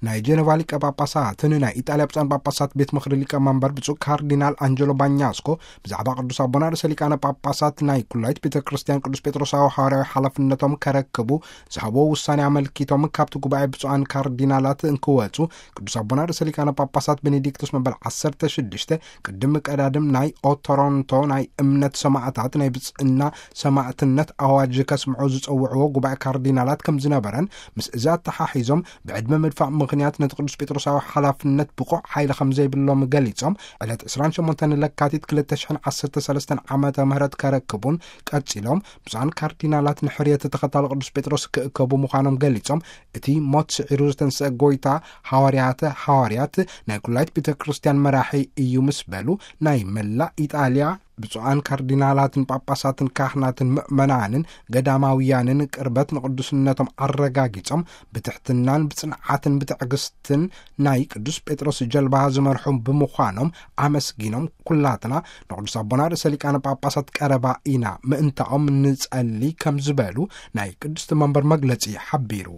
ናይ ጀነቫ ሊቀ ጳጳሳትን ናይ ኢጣልያ ብፁዓን ጳጳሳት ቤት ምኽሪ ሊቀ መንበር ብፁዕ ካርዲናል ኣንጀሎ ባኛስኮ ብዛዕባ ቅዱስ ኣቦና ርእሰ ሊቃነ ጳጳሳት ናይ ኩላይት ቤተ ክርስቲያን ቅዱስ ጴጥሮሳዊ ሓዋርያዊ ሓላፍነቶም ከረክቡ ዝሃብዎ ውሳኔ ኣመልኪቶም፣ ካብቲ ጉባኤ ብፁዓን ካርዲናላት እንክወጹ ቅዱስ ኣቦና ርእሰ ሊቃነ ጳጳሳት ቤኔዲክቶስ መበል ዓሰርተ ሽዱሽተ ቅድሚ ቀዳድም ናይ ኦቶሮንቶ ናይ እምነት ሰማዕታት ናይ ብጽእና ሰማዕትነት ኣዋጅ ከስምዑ ዝጸውዕዎ ጉባኤ ካርዲናላት ከም ዝነበረን፣ ምስ እዚ ኣተሓሒዞም ብዕድመ ምድፋእ ምኽንያት ነቲ ቅዱስ ጴጥሮሳዊ ሓላፍነት ብቑዕ ሓይሊ ከም ዘይብሎም ገሊጾም፣ ዕለት ዕስራን ሸሞንተን ለካቲት ክልተ ሽሕን ዓሰርተ ሰለስተን ዓመተ ምህረት ከረክቡን ቀጺሎም ብፁዓን ካርዲናላት ንሕርየት ተኸታሊ ቅዱስ ጴጥሮስ ክእከቡ ምዃኖም ገሊጾም፣ እቲ ሞት ስዒሩ ዝተንስአ ጎይታ ሃዋርያተ ሃዋርያት ናይ ኩላይት ቤተ ክርስቲያን መራሒ እዩ ምስ በሉ፣ ናይ መላእ ኢጣልያ ብፁዓን ካርዲናላትን ጳጳሳትን ካህናትን ምእመናንን ገዳማውያንን ቅርበት ንቅዱስነቶም ኣረጋጊጾም፣ ብትሕትናን ብጽንዓትን ብትዕግስትን ናይ ቅዱስ ጴጥሮስ ጀልባ ዝመርሑ ብምዃኖም ኣመስጊኖም፣ ኩላትና ንቅዱስ ኣቦና ርእሰ ሊቃነ ጳጳሳት ቀረባ ኢና ምእንታኦም ንጸሊ ከም ዝበሉ ናይ ቅድስቲ መንበር መግለጺ ሓቢሩ።